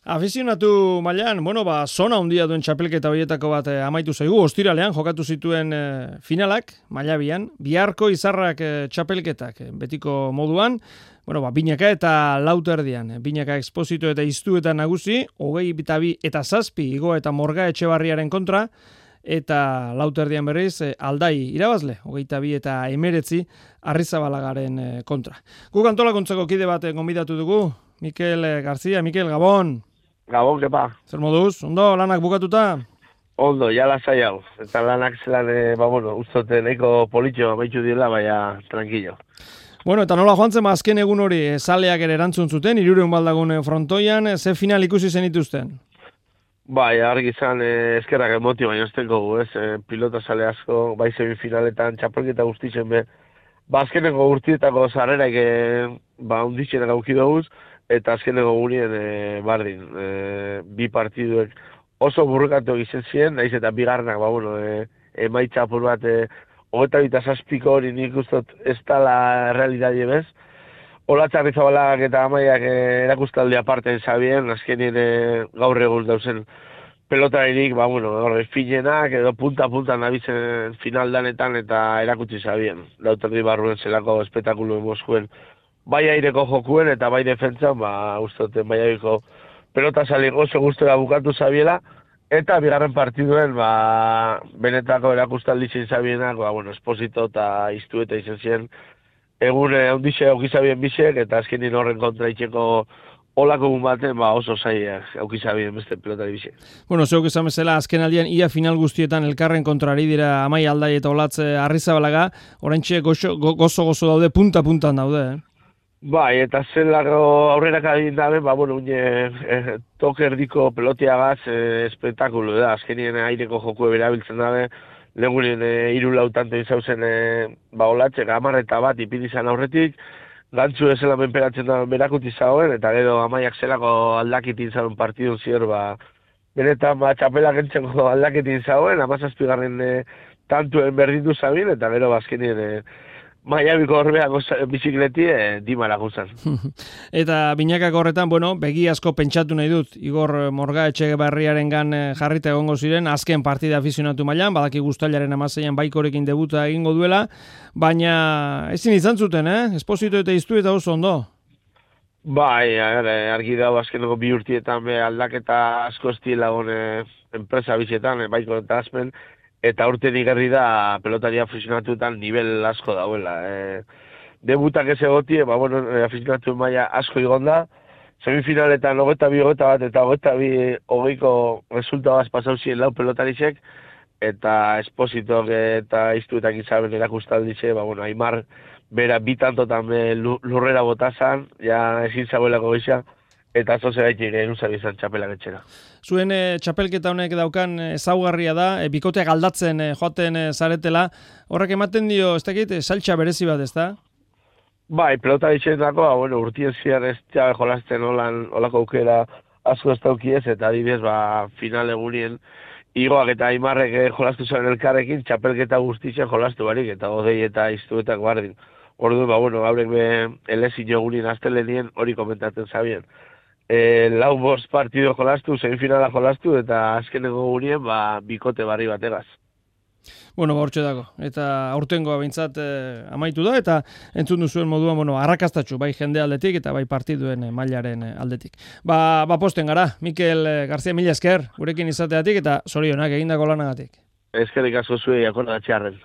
Afizionatu mailan, zona handia duen txapelketa horietako bat amaitu zaigu. Ostiralean jokatu zituen finalak, maila bian, biharko izarrak txapelketak, betiko moduan, binaka eta lauterdian. Binaka Exposito eta Iztu eta nagusi, 22 eta 7 Igo eta Morga Etxebarriaren kontra, eta lauterdian berriz Aldai irabazle, 22 eta 19 Arrizabalagaren kontra. Guk antolakuntzako kide bat gonbidatu dugu, Mikel Garzia. Mikel, Gabon. Gabon, kepa. Zer moduz? Ondo, lanak bukatuta? Ondo, ja lasai hau. Eta lanak zelan, ustote nahiko politxo amaitu dira, baina tranquilo. Eta nola joan zen, azken egun hori, zaleak ere erantzun zuten, 300 baldagun frontoian, ze final ikusi zenituzten? Bai, argi izan eskerrak emotio, baina eztenko gu, pilota zale asko, bai semifinaletan, txapelketa guztitzen be. Azkeneko urtietako zarrerak unditxenak auki doguz, eta azkeneko gunien bardin, bi partiduek oso burrukatu egiten ziren, naiz eta bigarrenak, emaitza apur bat, 27 hori nik ustot ez dala realidade bez. Olatza Arrizabalagak eta Amaiak erakustaldi aparten zabien, azkenien gaur egun dauzen pelotarinik, finenak edo punta nabizen finaldanetan eta erakutsi zabien. Lauterdi barruen zelako espektakulu Moskuen. Bai aireko jokuen eta bai defentzan, ustoten bai aireko pelota salik oso guztora bukatu zabiela, eta bigarren partiduen, benetako erakustaldi zin zabienak, Esposito eta Iztu eta izan ziren, egun handixe aukizabien bisek, eta azkenin horren kontra itxeko olako baten, oso zaiak aukizabien beste pelotari bisek. Zeuk izan bezala, azken aldian ia final guztietan elkarren kontrari dira Amai, Aldai eta Olatze Arrizabalaga, oraintxe gozo daude, punta-puntan daude, Bai, eta zelako aurrerak adin dabe, toke erdiko pelotiagaz espektakulu da. Azkenien aireko joku berabiltzen dabe, legunen 3 lautante izauzen Olatze, Gamar eta bat ipidizan aurretik, gantzu ezela menperatzen da berakuti zagoen, eta gero Amaiak zelako aldakitin zauen partidun zior, benetan txapelak entzeko aldakitin zagoen, 17. Tantuen berdindu zabin, eta gero azkenien Maiabiko horbeak bizikleti dimara guzan. Eta binakak horretan, begi asko pentsatu nahi dut. Igor Morga Etxebarriaren gan jarrita egongo ziren, azken partida afizionatu mailan, badaki guztailaren 16an baikorekin debuta egingo duela, baina ezin izan zuten, Esposito eta Iztu eta oso ondo. Bai, argi dago azkeneko 2 urtietan aldaketa asko estiela enpresa bizietan, baiko eta azpen, eta urte igarri da pelotari afizionatuetan nivel asko dauela. Debutak ez egotie, afizionatu maila asko igonda, semifinaletan 22-21 eta 22-20 resultabaz pasau ziren 4 pelotarisek, eta Espositok eta Iztuetak izaben erakustaldize, Aimar bera bitantotan lurrera botazan, ja ezin zagoelako gisa, eta zoze gaitik eruzabizan txapelak etxera. Zuen txapelketa honek daukan ezaugarria da, bikoteak aldatzen joaten zaretela, horrek ematen dio, ez dakit, saltxa berezi bat, ez da? Bai, pelota ditxetako, urtien ziar ez txabe jolazten olako aukera asko ez daukiez, eta adibidez, final egunien Igoak eta Aimarrek jolastu zuen elkarrekin, txapelketa guztitzen jolastu barik, eta Odei eta Iztuetak bardin. Orduan, haurek elezin jogunien astelenien hori komentatzen zabien. 4 partido jolastu, semifinala jolastu, eta azkeneko gunien, bikote barri bategaz. Hortxe dago. Eta aurtengoa behintzat amaitu da, eta entzun duzuen moduan, arrakastatxu, bai jende aldetik, eta bai partiduen mailaren aldetik. Posten gara, Mikel Garzia, mila esker, gurekin izateatik, eta zorionak egindako lanagatik. Eskerrik asko zuei, akordatxearren.